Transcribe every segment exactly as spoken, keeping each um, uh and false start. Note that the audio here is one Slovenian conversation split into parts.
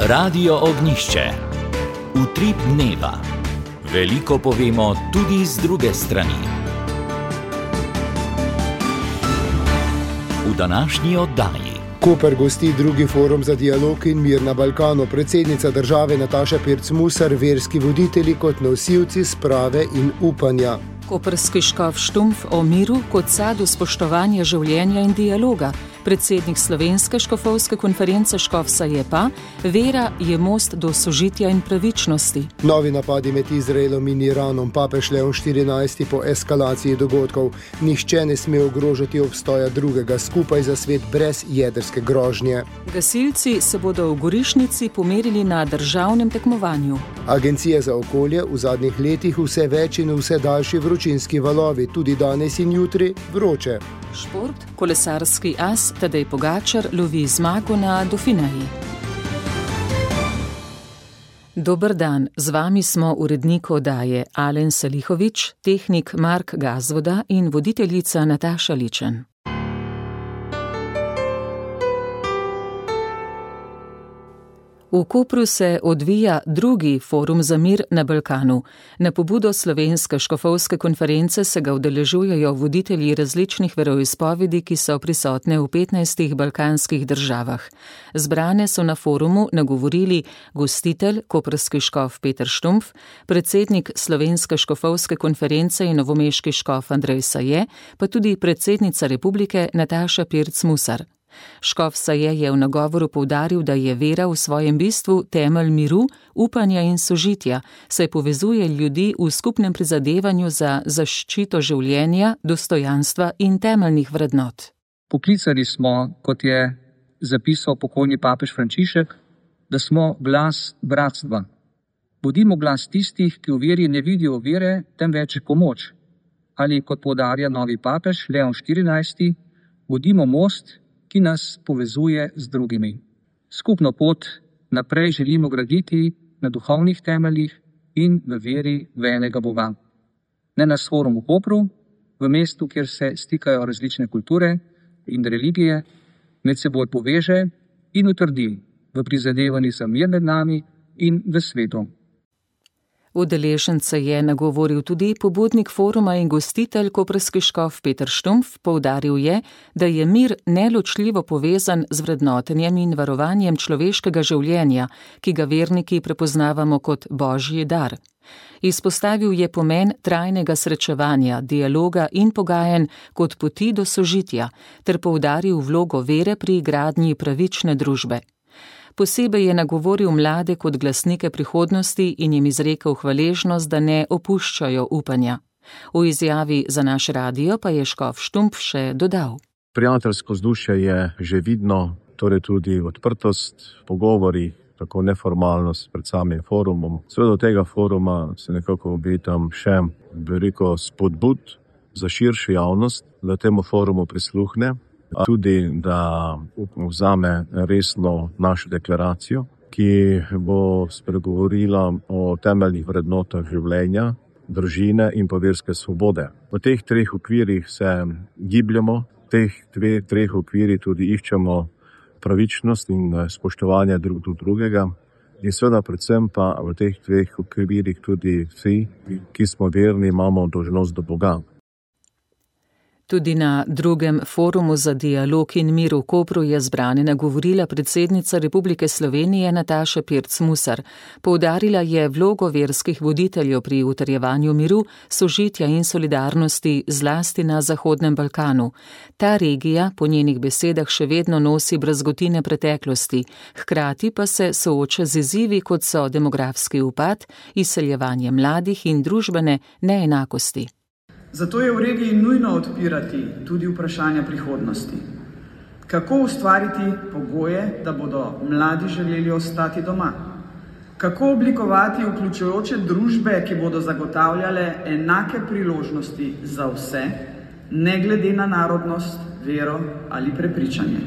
Radio Ognjišče. Utrip dneva. Veliko povemo tudi z druge strani. V današnji oddaji. Koper gosti drugi forum za dialog in mir na Balkanu. Predsednica države Nataša Pirc Musar, verski voditelji kot nosilci sprave in upanja. Koprski škof Štumpf o miru kot sadu spoštovanja življenja in dialoga. Predsednik Slovenske škofovske konference Škofsa je pa: vera je most do sožitja in pravičnosti. Novi napadi med Izraelom in Iranom. Papež Leon štirinajsti po eskalaciji dogodkov. Nihče ne sme ogrožati obstoja drugega, skupaj za svet brez jedrske grožnje. Gasilci se bodo v Gorišnici pomerili na državnem tekmovanju. Agencija za okolje v zadnjih letih vse več in vse daljši vročinski valovi, tudi danes in jutri vroče. Šport, kolesarski as Tadej Pogačar lovi zmago na Dauphineji. Dober dan, z vami smo urednik oddaje Alen Salihovič, tehnik Mark Gazvoda in voditeljica Nataša Ličen. V Kopru se odvija drugi forum za mir na Balkanu. Na pobudo Slovenske škofovske konference se ga udeležujejo voditelji različnih veroizpovedi, ki so prisotne v petnajstih balkanskih državah. Zbrane so na forumu nagovorili gostitelj, koprski škof Peter Štumpf, predsednik Slovenske škofovske konference in novomeški škof Andrej Saje, pa tudi predsednica republike Nataša Pirc Musar. Škof Saje je v nagovoru poudaril, da je vera v svojem bistvu temelj miru, upanja in sožitja, saj povezuje ljudi v skupnem prizadevanju za zaščito življenja, dostojanstva in temeljnih vrednot. Poklicani smo, kot je zapisal pokojni papež Frančišek, da smo glas bratstva. Bodimo glas tistih, ki v veri ne vidijo vere, temveč pomoč. Ali, kot poudarja novi papež Leon štirinajsti, bodimo most, ki nas povezuje z drugimi. Skupno pot naprej želimo graditi na duhovnih temeljih in v veri v enega Boga. Ne na forum v Kopru, v mestu, kjer se stikajo različne kulture in religije, med seboj poveže in utrdi v prizadevanju za mir med nami in v svetu. Udeležence je nagovoril tudi pobudnik foruma in gostitelj koprski škof Peter Štumpf. Poudaril je, da je mir neločljivo povezan z vrednotenjem in varovanjem človeškega življenja, ki ga verniki prepoznavamo kot božji dar. Izpostavil je pomen trajnega srečevanja, dialoga in pogajanj kot poti do sožitja, ter poudaril vlogo vere pri gradnji pravične družbe. Posebej je nagovoril mlade kot glasnike prihodnosti in jim izrekel hvaležnost, da ne opuščajo upanja. V izjavi za naš radio pa je škof Štumpf še dodal: Prijateljsko vzdušje je že vidno, torej tudi odprtost, pogovori, tako neformalnost pred samim forumom. Seveda od tega foruma se nekako obetam še veliko spodbud za širšo javnost, da temu forumu prisluhne. Tudi, da vzame resno našo deklaracijo, ki bo spregovorila o temeljnih vrednotah življenja, družine in pa verske svobode. V teh treh okvirih se gibljamo, v teh dveh, treh okvirih tudi iščemo pravičnost in spoštovanje drug do drugega. In seveda predvsem pa v teh dveh okvirih tudi vsi, ki smo verni, imamo dolžnost do Boga. Tudi na drugem forumu za dialog in mir v Kopru je zbrane nagovorila predsednica Republike Slovenije Nataša Pirc Musar. Poudarila je vlogo verskih voditeljev pri utrjevanju miru, sožitja in solidarnosti zlasti na Zahodnem Balkanu. Ta regija po njenih besedah še vedno nosi brazgotine preteklosti, hkrati pa se sooča z izzivi, kot so demografski upad, izseljevanje mladih in družbene neenakosti. Zato je v regiji nujno odpirati tudi vprašanja prihodnosti. Kako ustvariti pogoje, da bodo mladi želeli ostati doma? Kako oblikovati vključujoče družbe, ki bodo zagotavljale enake priložnosti za vse, ne glede na narodnost, vero ali prepričanje?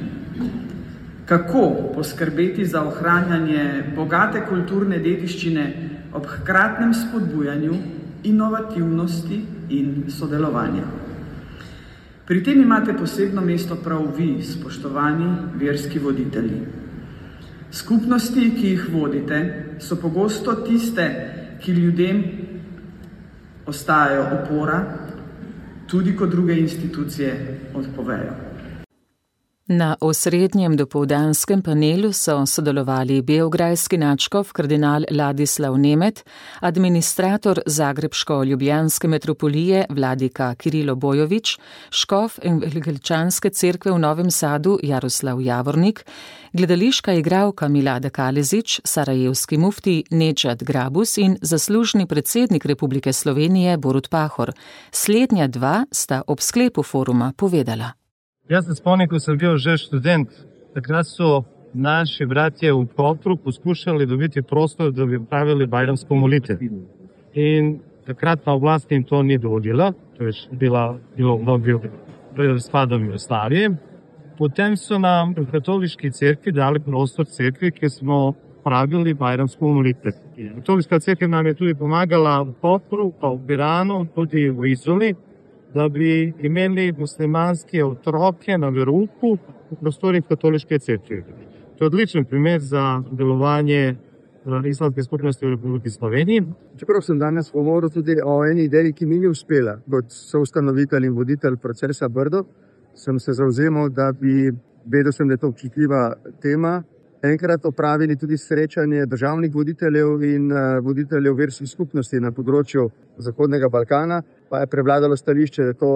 Kako poskrbeti za ohranjanje bogate kulturne dediščine ob hkratnem spodbujanju inovativnosti in sodelovanja? Pri tem imate posebno mesto prav vi, spoštovani verski voditelji. Skupnosti, ki jih vodite, so pogosto tiste, ki ljudem ostajajo opora, tudi ko druge institucije odpovejo. Na osrednjem dopoldanskem panelu so sodelovali beograjski nadškof kardinal Ladislav Nemet, administrator Zagrebško-ljubljanske metropolije vladika Kirilo Bojović, škof Evangeličanske cerkve v Novem Sadu Jaroslav Javornik, gledališka igralka Milada Kalezić, sarajevski mufti Nedžad Grabus in zaslužni predsednik Republike Slovenije Borut Pahor. Slednja dva sta ob sklepu foruma povedala. Jaz se spomnim, ko sem bil že študent, takrat so naši bratje v Kopru poskušali dobiti prostor, da bi pravili bajramsko molitev. In takrat na oblasti jim to ni dovolilo, to je bila, bilo mnogo spadom Jugoslavije. Potem so nam v katoliški cerkvi dali prostor cerkvi, ki smo pravili bajramsko molitev. Katoliška cerkev nam je tudi pomagala v Kopru, pa v Piranu, tudi v Izoli, da bi imeli muslimanske otroke na verouku v prostorih katoliške cerkve. To je odličen primer za delovanje islamske skupnosti v Republiki Sloveniji. Čeprav sem danes govoril tudi o eni ideji, ki mi ni uspela, kot soustanovitelj in voditelj procesa Brdo, sem se zavzemal, da bi, vedel sem, da je to občutljiva tema, enkrat opravili tudi srečanje državnih voditeljev in voditeljev verskih skupnosti na področju Zahodnega Balkana, pa je prevladalo stališče, da je to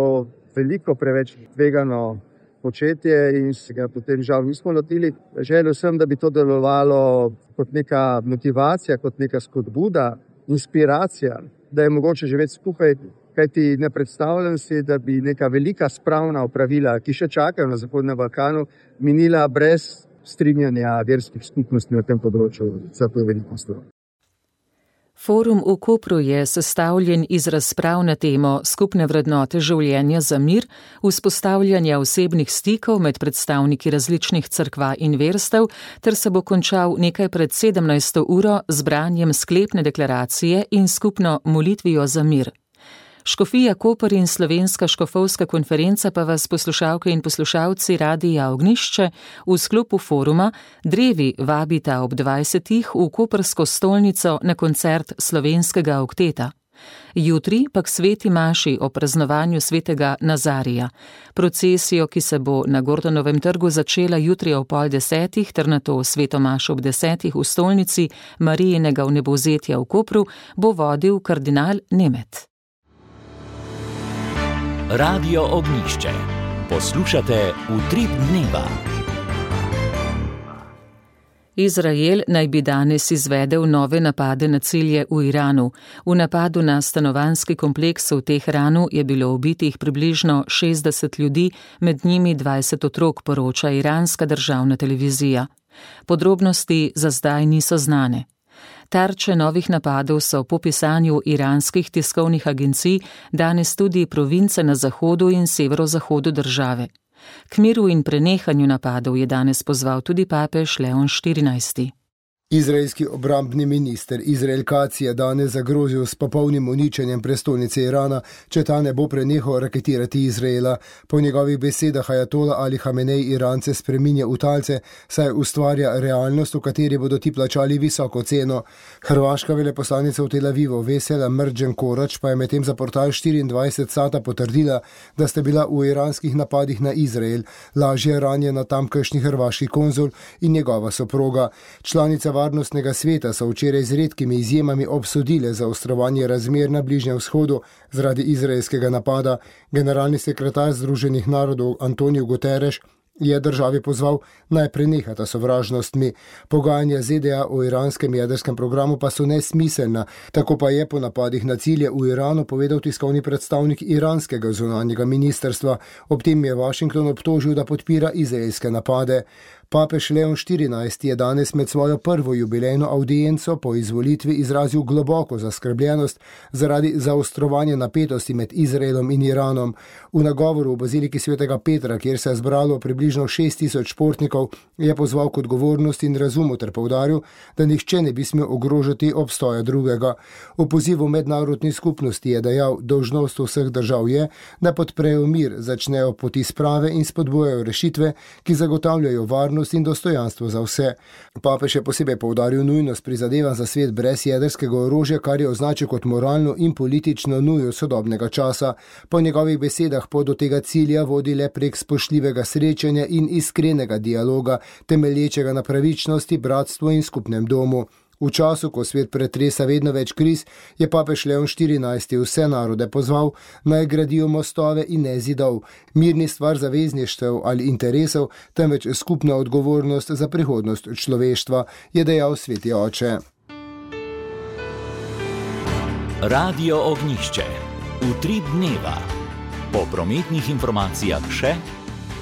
veliko preveč tvegano početje in se ga potem žal nismo lotili. Želel sem, da bi to delovalo kot neka motivacija, kot neka spodbuda, inspiracija, da je mogoče živeti skupaj, kajti ne predstavljam si, da bi neka velika spravna opravila, ki še čakajo na Zahodnem Balkanu, minila brez strinjanja verskih skupnosti na tem področju za to veliko stvar. Forum v Kopru je sestavljen iz razprav na temo skupne vrednote življenja za mir, vzpostavljanja osebnih stikov med predstavniki različnih cerkva in verstev, ter se bo končal nekaj pred sedemnajsto uro z branjem sklepne deklaracije in skupno molitvijo za mir. Škofija Koper in Slovenska škofovska konferenca pa vas, poslušalke in poslušalci Radia Ognjišče, v sklopu foruma drevi vabita ob dvajsetih v koprsko stolnico na koncert slovenskega okteta. Jutri pa k sveti maši o praznovanju svetega Nazarija. Procesijo, ki se bo na Gordonovem trgu začela jutri ob pol desetih ter nato sveto mašo ob desetih v stolnici Marijinega vnebovzetja v Kopru, bo vodil kardinal Nemet. Radio Ognjišče. Poslušate Utrip dneva. Izrael naj bi danes izvedel nove napade na cilje v Iranu. V napadu na stanovanjski kompleks v Teheranu je bilo ubitih približno šestdeset ljudi, med njimi dvajset otrok, poroča iranska državna televizija. Podrobnosti za zdaj niso znane. Tarče novih napadov so po pisanju iranskih tiskovnih agencij danes tudi province na zahodu in severozahodu države. K miru in prenehanju napadov je danes pozval tudi papež Leon štirinajsti. Izraelski obrambni minister Izrael Katz je danes zagrozil s popolnim uničenjem prestolnice Irana, če ta ne bo prenehal raketirati Izraela. Po njegovih besedah ajatola Ali Hamenej Irance spreminja v talce, saj ustvarja realnost, v kateri bodo ti plačali visoko ceno. Hrvaška veleposlanica v Tel Avivu Vesela Mrđen Korač pa je medtem za portal štiriindvajset Sata potrdila, da sta bila v iranskih napadih na Izrael lažje ranjena tamkajšnji hrvaški konzul in njegova soproga. Članica Varnostnega sveta so včeraj z redkimi izjemami obsodile zaostrovanje razmer na Bližnjem vzhodu zaradi izraelskega napada. Generalni sekretar Združenih narodov Antonio Guterres je državi pozval naj prenehata sovražnostmi. Pogajanja Z D A o iranskem jedrskem programu pa so nesmiselna. Tako pa je po napadih na cilje v Iranu povedal tiskovni predstavnik iranskega zunanjega ministrstva. Ob tem je Washington obtožil, da podpira izraelske napade. Papež Leon štirinajsti je danes med svojo prvo jubilejno avdienco po izvolitvi izrazil globoko zaskrbljenost zaradi zaostrovanja napetosti med Izraelom in Iranom. V nagovoru v baziliki svetega Petra, kjer se je zbralo približno šest tisoč športnikov, Je pozval k odgovornosti in razumu ter poudaril, da nihče ne bi smel ogrožati obstoja drugega. V pozivu mednarodni skupnosti je dejal, dolžnost vseh držav je, da podprejo mir, začnejo poti sprave in spodbujajo rešitve, ki zagotavljajo varnost in dostojanstvo za vse. Papež je posebej poudaril nujnost prizadevanj za svet brez jedrskega orožja, kar je označil kot moralno in politično nujo sodobnega časa. Po njegovih besedah pot do tega cilja vodi le prek spoštljivega srečanja in iskrenega dialoga, temelječega na pravičnosti, bratstvu in skupnem domu. V času, ko svet pretresa vedno več kriz, je papež Leon štirinajsti vse narode pozval, naj gradijo mostove in ne zidov. Mir ni stvar zavezništev ali interesov, temveč skupna odgovornost za prihodnost človeštva, je dejal sveti oče. Radio Ognjišče. Utrip dneva. Po prometnih informacijah še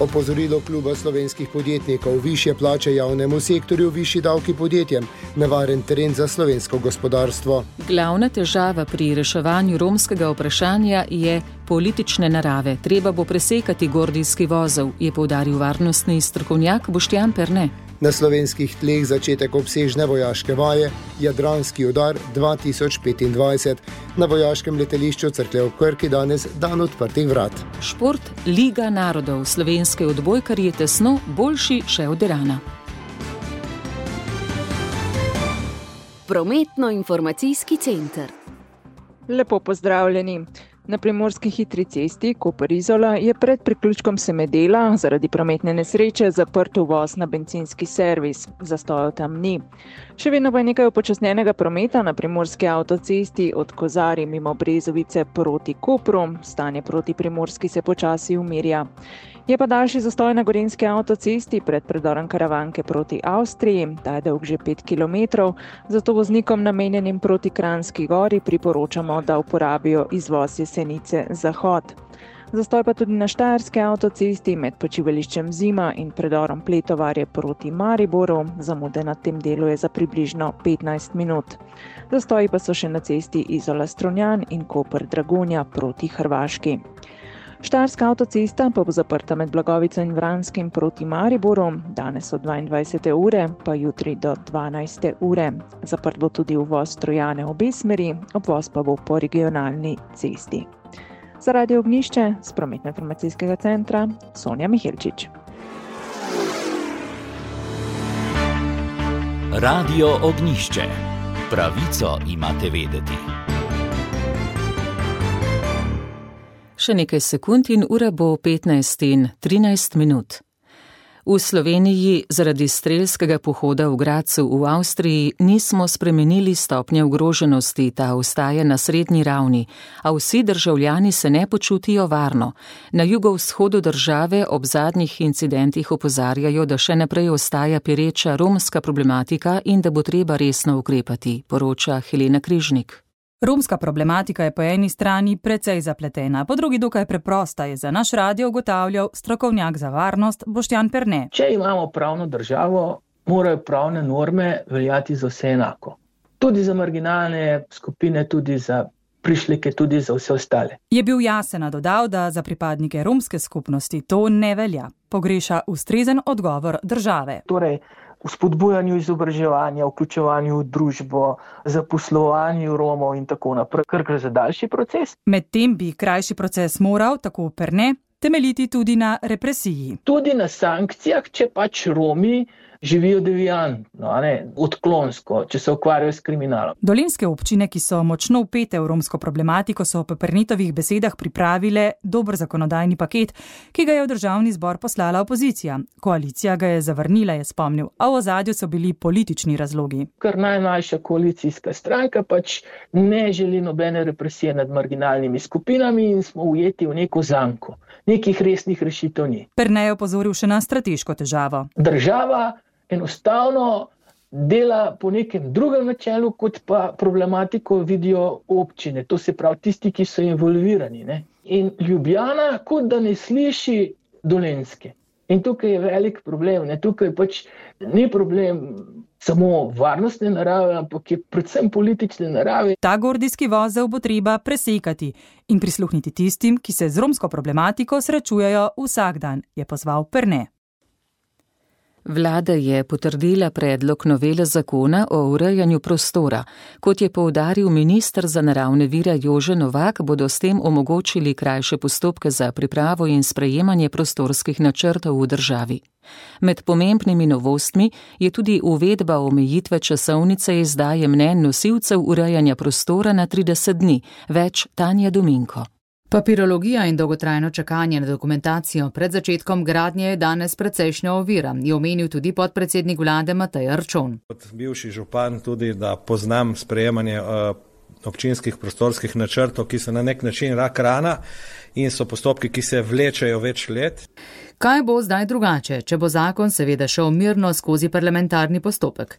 Opozorilo kluba slovenskih podjetnikov, višje plače javnemu sektorju, višji davki podjetjem, nevaren teren za slovensko gospodarstvo. Glavna težava pri reševanju romskega vprašanja je politične narave. Treba bo presekati gordijski vozel, je poudaril varnostni strokovnjak Boštjan Perne. Na slovenskih tleh začetek obsežne vojaške vaje, Jadranski udar dva tisoč petindvajset. Na vojaškem letališču Cerklje ob Krki danes dan odprtih vrat. Šport Liga narodov. Slovenske odbojkarji tesno, boljši še od Irana. Prometno-informacijski center. Lepo pozdravljeni. Na primorski hitri cesti Koper-Izola je pred priključkom Semedela zaradi prometne nesreče zaprt uvoz na bencinski servis. Zastojev tam ni. Še vedno pa je nekaj upočasnjenega prometa na primorski avtocesti od Kozarij mimo Brezovice proti Kopru. Stanje proti Primorski se počasi umirja. Je pa daljši zastoj na gorenjski avtocesti pred predorom Karavanke proti Avstriji, ta je dolg že pet kilometrov, zato voznikom namenjenim proti Kranjski gori priporočamo, da uporabijo izvoz Jesenice Zahod. Zastoj pa tudi na štajerski avtocesti med počivališčem Zima in predorom Pletovarje proti Mariboru, zamude na tem delu je za približno petnajst minut. Zastoji pa so še na cesti Izola-Strunjan in Koper-Dragonja proti Hrvaški. Štajerska avtocesta pa bo zaprta med Blagovico in Vranskim proti Mariboru, danes od dvaindvajsete ure, pa jutri do dvanajste ure. Zaprt bo tudi uvoz Trojane obe smeri, obvoz pa bo po regionalni cesti. Za Radio Ognjišče z prometno-informacijskega centra Sonja Mihelčič. Radio Ognjišče. Pravico imate vedeti. Še nekaj sekund in ura bo petnajst in trinajst minut. V Sloveniji zaradi strelskega pohoda v Gradcu v Avstriji nismo spremenili stopnje ogroženosti, ta ostaja na srednji ravni, a vsi državljani se ne počutijo varno. Na jugovzhodu države ob zadnjih incidentih opozarjajo, da še naprej ostaja pereča romska problematika in da bo treba resno ukrepati, poroča Helena Križnik. Romska problematika je po eni strani precej zapletena, po drugi dokaj preprosta, je za naš radio ugotavljal strokovnjak za varnost Boštjan Perne. Če imamo pravno državo, morajo pravne norme veljati za vse enako. Tudi za marginalne skupine, tudi za prišleke, tudi za vse ostale. Je bil jasen dodal, da za pripadnike romske skupnosti to ne velja. Pogreša ustrezen odgovor države. Torej, v spodbujanju izobraževanja, vključevanju v družbo, zaposlovanju Romov in tako naprej, kar gre za daljši proces. Medtem bi krajši proces moral, tako Perne, temeljiti tudi na represiji. Tudi na sankcijah, če pač Romi živijo deviantno, odklonsko, če se ukvarjajo s kriminalom. Dolenjske občine, ki so močno vpete v romsko problematiko, so po Pernitovih besedah pripravile dober zakonodajni paket, ki ga je v državni zbor poslala opozicija. Koalicija ga je zavrnila, je spomnil, a v ozadju so bili politični razlogi. Ker najmlajša koalicijska stranka pač ne želi nobene represije nad marginalnimi skupinami in smo ujeti v neko zanko. Nekih resnih rešitev ni. Perne je opozoril še na strateško težavo. Država enostavno dela po nekem drugem načelu, kot pa problematiko vidijo občine. To se pravi tisti, ki so involvirani. Ne? In Ljubljana kot da ne sliši Dolenjske. In tukaj je velik problem. Ne? Tukaj pač ni problem samo varnostne narave, ampak je predvsem politične narave. Ta gordijski vozel bo treba presekati in prisluhniti tistim, ki se z romsko problematiko srečujejo vsak dan, je pozval Perne. Vlada je potrdila predlog novele zakona o urejanju prostora. Kot je poudaril minister za naravne vire Jože Novak, bodo s tem omogočili krajše postopke za pripravo in sprejemanje prostorskih načrtov v državi. Med pomembnimi novostmi je tudi uvedba omejitve časovnice izdaje mnenj nosilcev urejanja prostora na trideset dni, več Tanja Dominko. Papirologija in dolgotrajno čakanje na dokumentacijo pred začetkom gradnje je danes precejšnja ovira, je omenil tudi podpredsednik vlade Matej Arčon. Kot bivši župan tudi, da poznam sprejemanje uh, občinskih prostorskih načrtov, ki so na nek način rak rana in so postopki, ki se vlečejo več let. Kaj bo zdaj drugače, če bo zakon seveda šel mirno skozi parlamentarni postopek?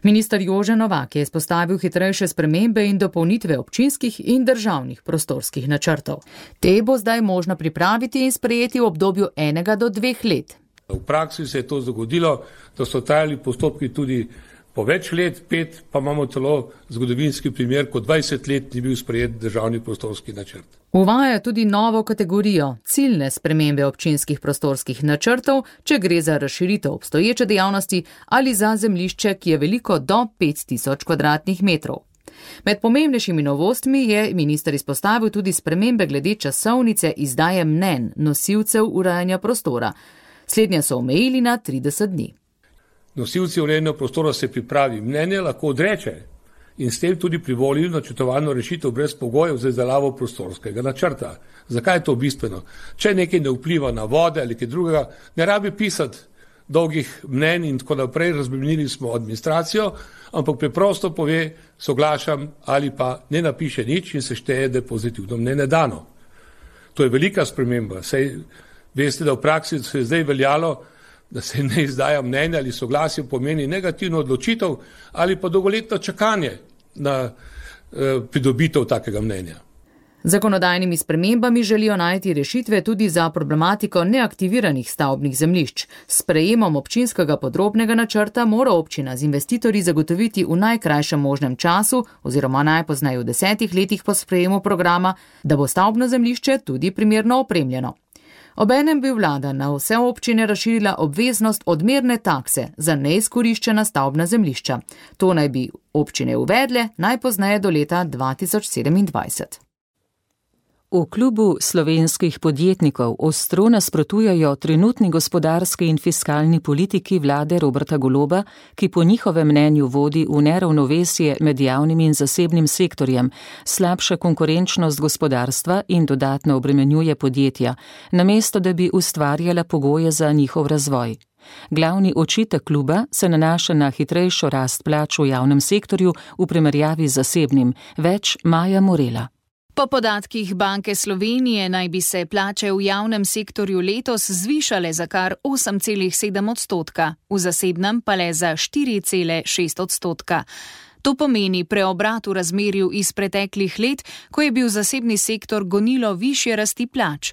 Minister Jože Novak je izpostavil hitrejše spremembe in dopolnitve občinskih in državnih prostorskih načrtov. Te bo zdaj možno pripraviti in sprejeti v obdobju enega do dveh let. V praksi se je to zgodilo, da so trajali postopki tudi po več let, pet, pa imamo celo zgodovinski primer, ko dvajset let ni bil sprejet državni prostorski načrt. Uvaja tudi novo kategorijo, ciljne spremembe občinskih prostorskih načrtov, če gre za razširitev obstoječe dejavnosti ali za zemljišče, ki je veliko do pet tisoč kvadratnih metrov. Med pomembnejšimi novostmi je minister izpostavil tudi spremembe glede časovnice izdaje mnenj nosilcev urejanja prostora. Slednje so omejili na trideset dni. Nosilci urejanja prostora se pripravi mnenje, lahko odreče in s tem tudi privoli načrtovano rešitev brez pogojev za izdelavo prostorskega načrta. Zakaj je to bistveno? Če nekaj ne vpliva na vode ali kaj drugega, ne rabi pisati dolgih mnenj in tako naprej, razbremenili smo administracijo, ampak preprosto pove, soglašam ali pa ne napiše nič in se šteje, da je pozitivno mnenje dano. To je velika sprememba. Sej veste, da v praksi se je zdaj veljalo, da se ne izdaja mnenja ali soglasje pomeni negativno odločitev ali pa dolgoletno čakanje na eh, pridobitev takega mnenja. Zakonodajnimi spremembami želijo najti rešitve tudi za problematiko neaktiviranih stavbnih zemljišč. S sprejemom občinskega podrobnega načrta mora občina z investitorji zagotoviti v najkrajšem možnem času oziroma najpozneje v desetih letih po sprejemu programa, da bo stavbno zemljišče tudi primerno opremljeno. Obenem bi vlada na vse občine razširila obveznost odmerne takse za neizkoriščena stavbna zemljišča. To naj bi občine uvedle najpozneje do leta dva tisoč sedemindvajset. V klubu slovenskih podjetnikov ostro nasprotujejo trenutni gospodarski in fiskalni politiki vlade Roberta Goloba, ki po njihovem mnenju vodi v neravnovesje med javnim in zasebnim sektorjem, slabša konkurenčnost gospodarstva in dodatno obremenjuje podjetja, namesto da bi ustvarjala pogoje za njihov razvoj. Glavni očitek kluba se nanaša na hitrejšo rast plač v javnem sektorju v primerjavi z zasebnim, več Maja Morela. Po podatkih Banke Slovenije naj bi se plače v javnem sektorju letos zvišale za kar osem celih sedem odstotka, v zasebnem pa le za štiri celih šest odstotka. To pomeni preobrat v razmerju iz preteklih let, ko je bil zasebni sektor gonilo višje rasti plač.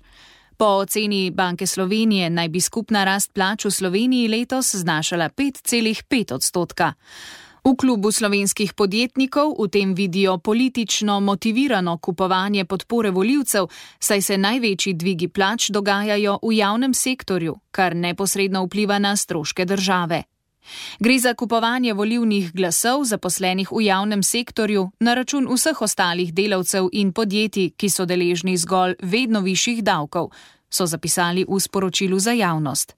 Po oceni Banke Slovenije naj bi skupna rast plač v Sloveniji letos znašala pet celih pet odstotka. V klubu slovenskih podjetnikov v tem vidijo politično motivirano kupovanje podpore volivcev, saj se največji dvigi plač dogajajo v javnem sektorju, kar neposredno vpliva na stroške države. Gre za kupovanje volivnih glasov zaposlenih v javnem sektorju na račun vseh ostalih delavcev in podjetij, ki so deležni zgolj vedno višjih davkov, so zapisali v sporočilu za javnost.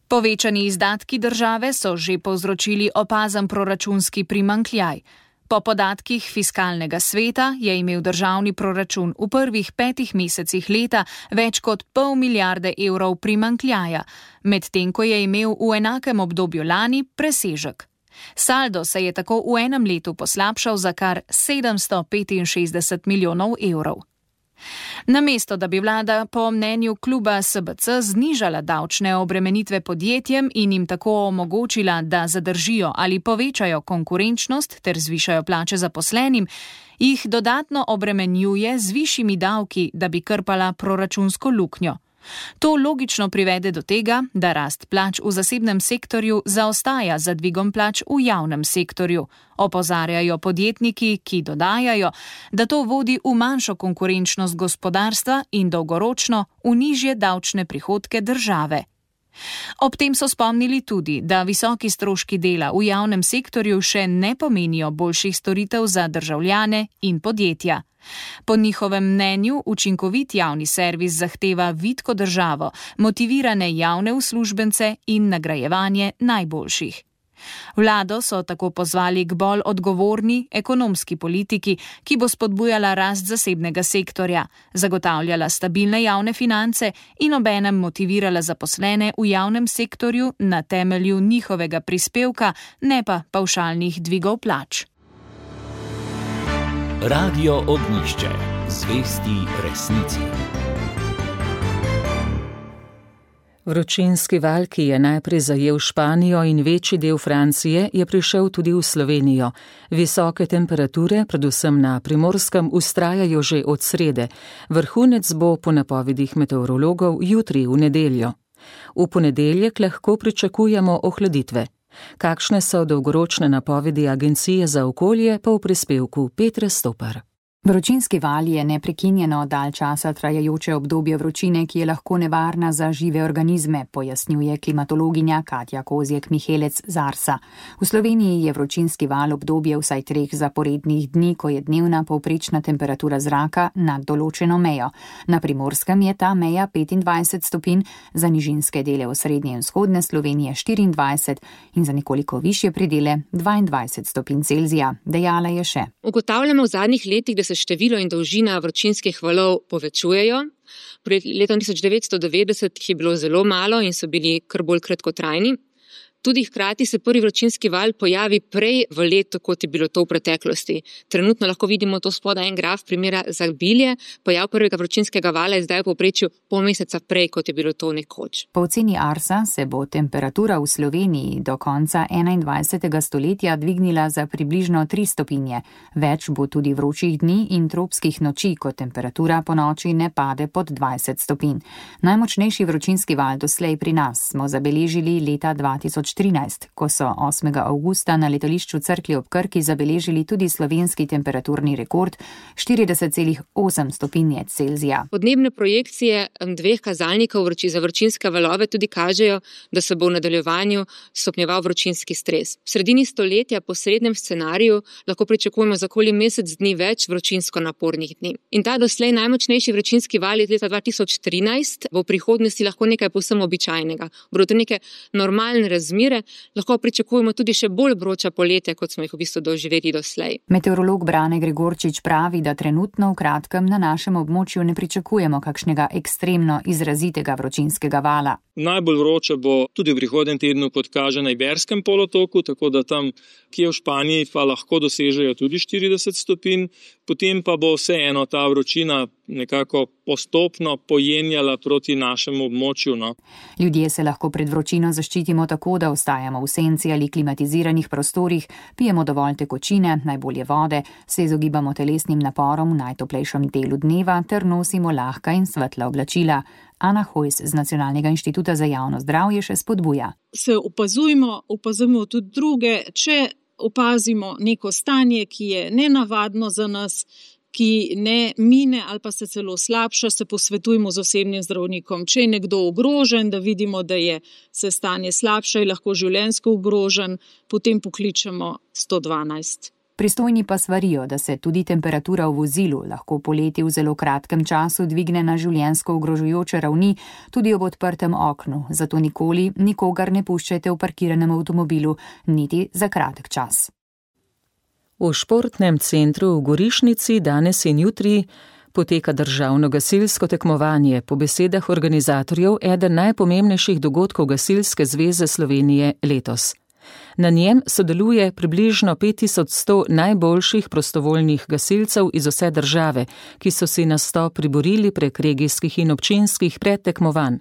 Povečani izdatki države so že povzročili opazen proračunski primanjkljaj. Po podatkih Fiskalnega sveta je imel državni proračun v prvih petih mesecih leta več kot pol milijarde evrov primanjkljaja, medtem ko je imel v enakem obdobju lani presežek. Saldo se je tako v enem letu poslabšal za kar sedemsto petinšestdeset milijonov evrov. Namesto, da bi vlada po mnenju kluba S B C znižala davčne obremenitve podjetjem in jim tako omogočila, da zadržijo ali povečajo konkurenčnost ter zvišajo plače zaposlenim, jih dodatno obremenjuje z višjimi davki, da bi krpala proračunsko luknjo. To logično privede do tega, da rast plač v zasebnem sektorju zaostaja za dvigom plač v javnem sektorju. Opozarjajo podjetniki, ki dodajajo, da to vodi v manjšo konkurenčnost gospodarstva in dolgoročno v nižje davčne prihodke države. Ob tem so spomnili tudi, da visoki stroški dela v javnem sektorju še ne pomenijo boljših storitev za državljane in podjetja. Po njihovem mnenju učinkovit javni servis zahteva vitko državo, motivirane javne uslužbence in nagrajevanje najboljših. Vlado so tako pozvali k bolj odgovorni ekonomski politiki, ki bo spodbujala rast zasebnega sektorja, zagotavljala stabilne javne finance in obenem motivirala zaposlene v javnem sektorju na temelju njihovega prispevka, ne pa pavšalnih dvigov plač. Radio Ognjišče. Zvesti resnici. Vročinski val, ki je najprej zajel Španijo in večji del Francije, je prišel tudi v Slovenijo. Visoke temperature, predvsem na Primorskem, vztrajajo že od srede. Vrhunec bo po napovedih meteorologov jutri v nedeljo. V ponedeljek lahko pričakujemo ohladitve. Kakšne so dolgoročne napovedi Agencije za okolje, pa v prispevku Petre Stopar. Vročinski val je neprekinjeno dalj časa trajajoče obdobje vročine, ki je lahko nevarna za žive organizme, pojasnjuje klimatologinja Katja Kozjek-Mihelec z Arsa. V Sloveniji je vročinski val obdobje vsaj treh zaporednih dni, ko je dnevna povprečna temperatura zraka nad določeno mejo. Na Primorskem je ta meja petindvajset stopinj, za nižinske dele osrednje in vzhodne Slovenije štiriindvajset in za nekoliko višje predele dvaindvajset stopinj Celzija, dejala je še. Ugotavljamo v zadnjih letih, da se število in dolžina vročinskih valov povečujejo. Pred letom tisoč devetsto devetdeset jih je bilo zelo malo in so bili kar bolj kratkotrajni. Tudi hkrati se prvi vročinski val pojavi prej v letu, kot je bilo to v preteklosti. Trenutno lahko vidimo to spodaj en graf primera za bilje. Pojav prvega vročinskega vala je zdaj v povprečju pol meseca prej, kot je bilo to nekoč. Po oceni Arsa se bo temperatura v Sloveniji do konca enaindvajsetega stoletja dvignila za približno tri stopinje. Več bo tudi vročih dni in tropskih noči, ko temperatura po noči ne pade pod dvajset stopinj. Najmočnejši vročinski val doslej pri nas smo zabeležili leta dva tisoč trinajst, ko so osmega avgusta na letališču Cerklje ob Krki zabeležili tudi slovenski temperaturni rekord štirideset celih osem stopinje Celzija. Podnebne projekcije dveh kazalnikov vroči za vročinske valove tudi kažejo, da se bo v nadaljevanju stopnjeval vročinski stres. V sredini stoletja po srednjem scenariju lahko pričakujemo za okoli mesec dni več vročinsko napornih dni. In ta doslej najmočnejši vročinski val iz leta dva tisoč trinajst bo v prihodnosti lahko nekaj povsem običajnega. Bodo to neke normalne razmere, lahko pričakujemo tudi še bolj vroča poletja, kot smo jih v bistvu doživeli doslej. Meteorolog Brane Gregorčič pravi, da trenutno v kratkem na našem območju ne pričakujemo kakšnega ekstremno izrazitega vročinskega vala. Najbolj vroče bo tudi v prihodnjem tednu, kot kaže na Iberskem polotoku, tako da tam, kje v Španiji, pa lahko dosežejo tudi štirideset stopinj, potem pa bo vseeno ta vročina nekako postopno pojenjala proti našemu območju. No. Ljudje se lahko pred vročino zaščitimo tako, da ostajamo v senci ali klimatiziranih prostorih, pijemo dovolj tekočine, najbolje vode, se izogibamo telesnim naporom v najtoplejšem delu dneva ter nosimo lahka in svetla oblačila. Ana Hojs z Nacionalnega inštituta za javno zdravje še spodbuja. Se opazujmo, opazujmo tudi druge, če opazimo neko stanje, ki je nenavadno za nas, ki ne mine ali pa se celo slabša, se posvetujmo z osebnim zdravnikom. Če je nekdo ogrožen, da vidimo, da je se stanje slabša in lahko življenjsko ogrožen, potem pokličemo sto dvanajst. Pristojni pa svarijo, da se tudi temperatura v vozilu lahko poleti v zelo kratkem času dvigne na življenjsko ogrožujoče ravni, tudi ob odprtem oknu, zato nikoli nikogar ne puščajte v parkiranem avtomobilu, niti za kratek čas. V športnem centru v Gorišnici danes in jutri poteka državno gasilsko tekmovanje, po besedah organizatorjev eden najpomembnejših dogodkov Gasilske zveze Slovenije letos. Na njem sodeluje približno pet tisoč sto najboljših prostovoljnih gasilcev iz vse države, ki so si nastop priborili prek regijskih in občinskih predtekmovanj.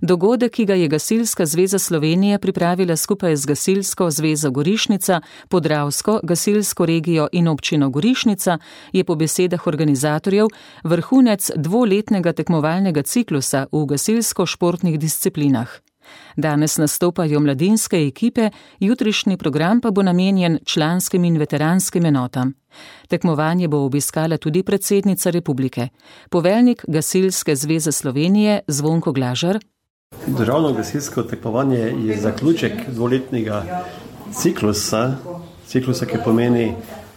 Dogodek, ki ga je Gasilska zveza Slovenije pripravila skupaj z Gasilsko zvezo Gorišnica, Podravsko gasilsko regijo in občino Gorišnica, je po besedah organizatorjev vrhunec dvoletnega tekmovalnega ciklusa v gasilsko-športnih disciplinah. Danes nastopajo mladinske ekipe, jutrišnji program pa bo namenjen članskim in veteranskim enotam. Tekmovanje bo obiskala tudi predsednica republike. Poveljnik Gasilske zveze Slovenije Zvonko Glažar. Državno gasilsko tekmovanje je zaključek dvoletnega ciklusa, ciklusa, ki pomeni,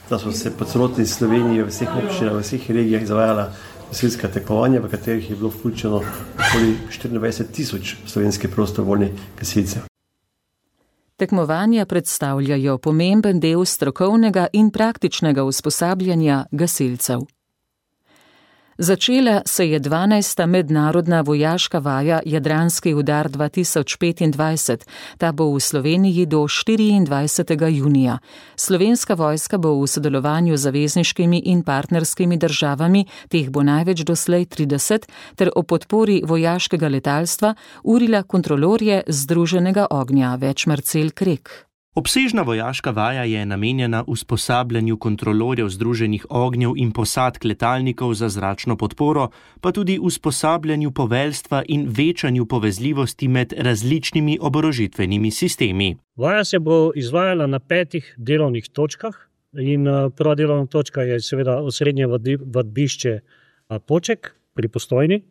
da so se po celotni Sloveniji, v vseh občinah, v vseh regijah izvajala gasilska tekmovanja, v katerih je bilo vključeno okoli štiriindvajset tisoč slovenskih prostovoljnih gasilcev. Tekmovanja predstavljajo pomemben del strokovnega in praktičnega usposabljanja gasilcev. Začela se je dvanajsta mednarodna vojaška vaja Jadranski udar dva tisoč petindvajset. Ta bo v Sloveniji do štiriindvajsetega junija. Slovenska vojska bo v sodelovanju z zavezniškimi in partnerskimi državami, teh bo največ doslej trideset, ter o podpori vojaškega letalstva urila kontrolorje Združenega ognja, več Marcel Krek. Obsežna vojaška vaja je namenjena usposabljanju kontrolorjev Združenih ognjev in posadk letalnikov za zračno podporo, pa tudi usposabljanju poveljstva in večanju povezljivosti med različnimi oborožitvenimi sistemi. Vaja se bo izvajala na petih delovnih točkah in prva delovna točka je seveda osrednje vadbišče Poček pri Postojni,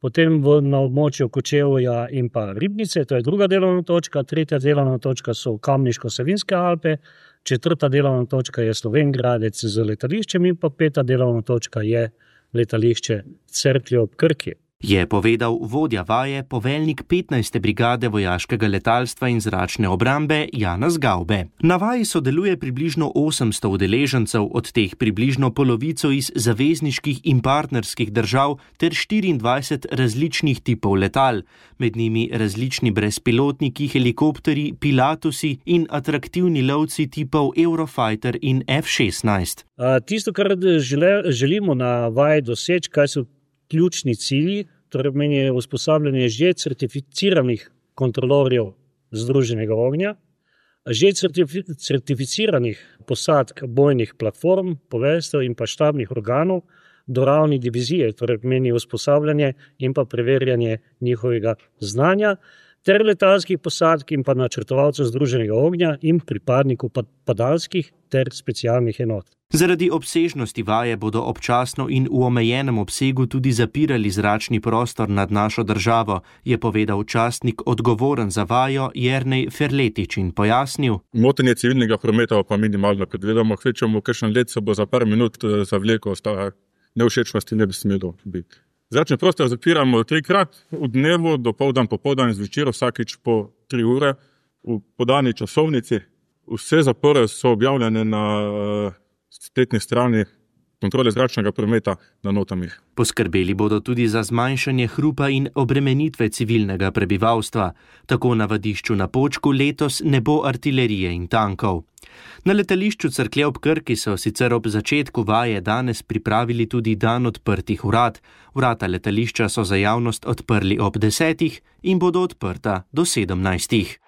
potem na območju Kočevja in pa Ribnice, to je druga delovna točka, tretja delovna točka so Kamniško-Savinjske Alpe, četrta delovna točka je Slovenj Gradec z letališčem in pa peta delovna točka je letališče Cerklje ob Krki. Je povedal vodja vaje, poveljnik petnajste brigade vojaškega letalstva in zračne obrambe Janez Gavbe. Na vaji sodeluje približno osemsto udeležencev, od teh približno polovico iz zavezniških in partnerskih držav ter štiriindvajset različnih tipov letal, med njimi različni brezpilotniki, helikopterji, pilatusi in atraktivni lovci tipov Eurofighter in F šestnajst. A, tisto, kar žele, želimo na vaji doseči, kaj so ključni cilji, torej meni je usposabljanje že certificiranih kontrolorjev Združenega ognja, že certifi- certificiranih posadk bojnih platform, poveljstev in pa štabnih organov do ravni divizije, torej meni usposabljanje in pa preverjanje njihovega znanja, ter letalskih posadk in pa načrtovalcev Združenega ognja in pripadnikov padalskih ter specialnih enot. Zaradi obsežnosti vaje bodo občasno in v omejenem obsegu tudi zapirali zračni prostor nad našo državo, je povedal častnik odgovoren za vajo Jernej Ferletič in pojasnil. Motenje civilnega prometa pa minimalno, kot vedemo, kvečemo, kakšen let se bo za par minut zavleko, sta nevšečnosti ne bi smelo biti. Zračni prostor zapiramo trikrat v dnevu, dopoldan, popoldan in zvečer, vsakič po tri ure v podani časovnici. Vse zapore so objavljene na spletni strani kontrole zračnega prometa na Notamih. Poskrbeli bodo tudi za zmanjšanje hrupa in obremenitve civilnega prebivalstva. Tako na vadišču na Počku letos ne bo artilerije in tankov. Na letališču Cerklje ob Krki so sicer ob začetku vaje danes pripravili tudi dan odprtih vrat. Vrata letališča so za javnost odprli ob desetih in bodo odprta do sedemnajstih.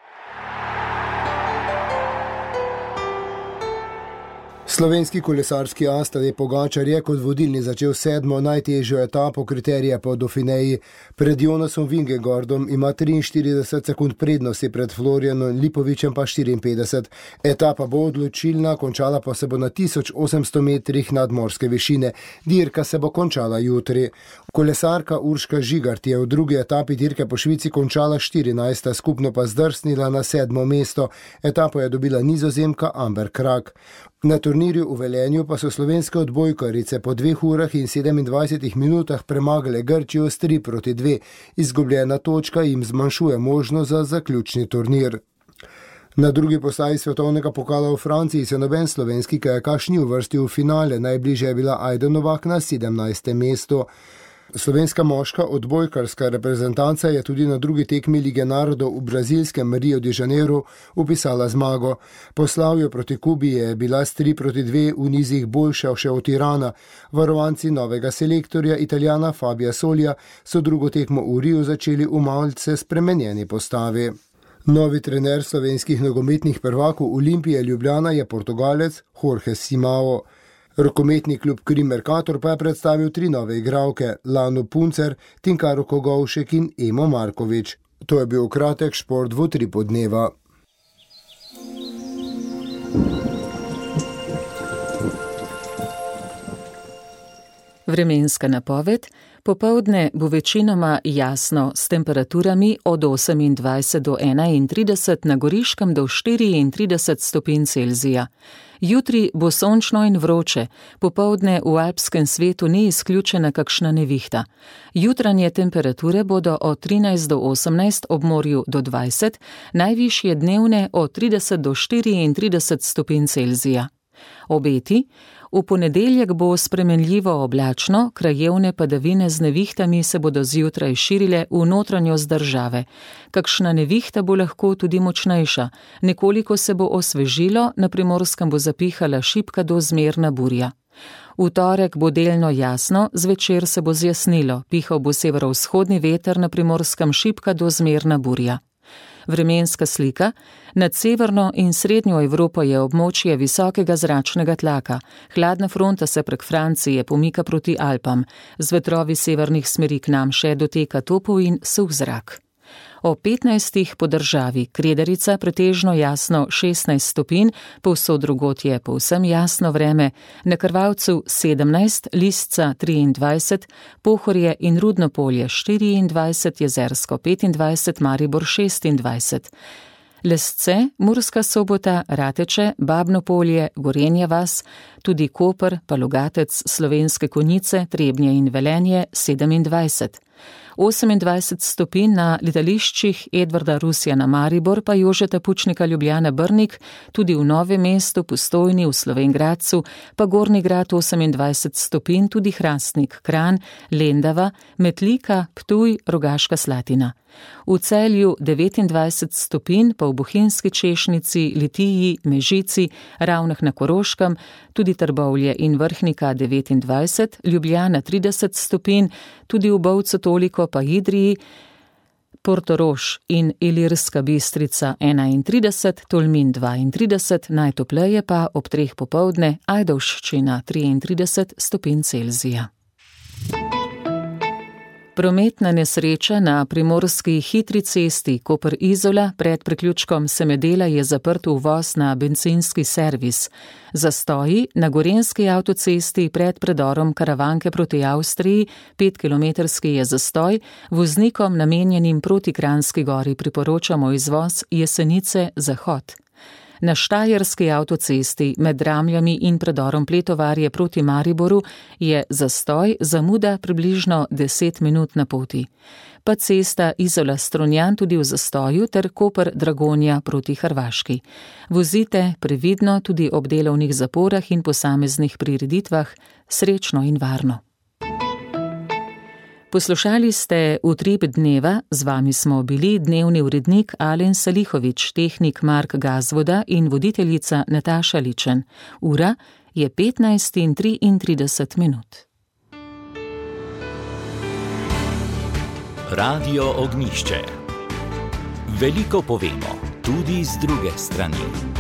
Slovenski kolesarski as Tadej Pogačar je kot vodilni začel sedmo najtežjo etapo kriterija po Dauphineji. Pred Jonasom Vingegaardom ima triinštirideset sekund prednosti, pred Florianom Lipovičem pa štiriinpetdeset. Etapa bo odločilna, končala pa se bo na tisoč osemsto metrih nadmorske višine. Dirka se bo končala jutri. Kolesarka Urška Žigart je v drugi etapi dirke po Švici končala štirinajsta, skupno pa zdrsnila na sedmo mesto. Etapo je dobila Nizozemka Amber Krak. Na turnirju v Velenju pa so slovenske odbojkarice po dveh urah in sedemindvajsetih minutah premagale Grčijo s tri proti dve. Izgubljena točka jim zmanjšuje možnost za zaključni turnir. Na drugi postaji svetovnega pokala v Franciji se noben slovenski kajakaš ni uvrstil v finale, najbližje je bila Ajda Novak na sedemnajstem mestu. Slovenska moška odbojkarska reprezentanca je tudi na drugi tekmi Lige narodov v brazilskem Rio de Janeiro upisala zmago. Po slavju proti Kubi je bila s tri proti dve v nizih boljša še od Irana. Varovanci novega selektorja Italijana Fabija Solija so drugo tekmo v Riu začeli v malce spremenjeni postavi. Novi trener slovenskih nogometnih prvakov Olimpije Ljubljana je Portugalec Jorge Simao. Rokometni klub Krim Mercator pa je predstavil tri nove igralke, Lano Puncer, Tinkaro Kogovšek in Emo Markovič. To je bil kratek šport v utripu dneva. Vremenska napoved. Popoldne bo večinoma jasno s temperaturami od osemindvajset do enaintrideset, na Goriškem do štiriintrideset stopinj Celzija. Jutri bo sončno in vroče, popoldne v alpskem svetu ni izključena kakšna nevihta. Jutranje temperature bodo od trinajst do osemnajst, ob morju do dvajset, najvišje dnevne od trideset do štiriintrideset stopinj Celzija. Obeti. V ponedeljek bo spremenljivo oblačno, krajevne padavine z nevihtami se bodo zjutraj širile v notranjost države. Kakšna nevihta bo lahko tudi močnejša, nekoliko se bo osvežilo, na Primorskem bo zapihala šibka do zmerna burja. V torek bo delno jasno, zvečer se bo zjasnilo, pihal bo severovzhodni veter, na Primorskem šibka do zmerna burja. Vremenska slika. Nad severno in srednjo Evropo je območje visokega zračnega tlaka. Hladna fronta se prek Francije pomika proti Alpam. Z vetrovi severnih smeri k nam še doteka topel in suh zrak. O petnajstih po državi. Kredarica pretežno jasno šestnajst stopinj, povsod drugod je povsem jasno vreme, na Krvavcu sedemnajst, Lisca triindvajset, Pohorje in Rudno polje štiriindvajset, Jezersko petindvajset, Maribor šestindvajset. Lesce, Murska Sobota, Rateče, Babno polje, Gorenja vas, tudi Koper, pa Logatec, Slovenske Konjice, Trebnje in Velenje sedemindvajset. osemindvajset stopinj na letališčih Edvarda Rusjana Maribor, pa Jožeta Pučnika Ljubljana Brnik, tudi v Novem mestu, Postojni, v Slovenj Gradcu, pa Gornji Grad osemindvajset stopinj, tudi Hrastnik, Kranj, Lendava, Metlika, Ptuj, Rogaška Slatina. V Celju devetindvajset stopinj, pa v Bohinjski Češnici, Litiji, Mežici, Ravnah na Koroškem, tudi Trbovlje in Vrhnika devetindvajset, Ljubljana trideset stopinj, tudi v Bovcu toliko, pa Idriji, Portorož in Ilirska Bistrica enaintrideset, Tolmin dvaintrideset, najtopleje pa ob treh popoldne, Ajdovščina triintrideset stopinj Celzija. Prometna nesreča na primorski hitri cesti Koper-Izola pred priključkom Semedela je zaprt uvoz na bencinski servis. Zastoji na gorenjski avtocesti pred predorom Karavanke proti Avstriji, petkilometrski je zastoj, voznikom namenjenim proti Kranjski Gori priporočamo izvoz Jesenice-Zahod. Na štajerski avtocesti med Dramljami in predorom Pletovarje proti Mariboru je zastoj, zamuda približno deset minut na poti. Pa cesta Izola-Strunjan tudi v zastoju ter Koper-Dragonja proti Hrvaški. Vozite previdno tudi ob delovnih zaporah in posameznih prireditvah, srečno in varno. Poslušali ste Utrip dneva, z vami smo bili dnevni urednik Alen Salihovič, tehnik Mark Gazvoda in voditeljica Nataša Ličen. Ura je petnajst in triintrideset minut. Radio Ognjišče. Veliko povemo, tudi z druge strani.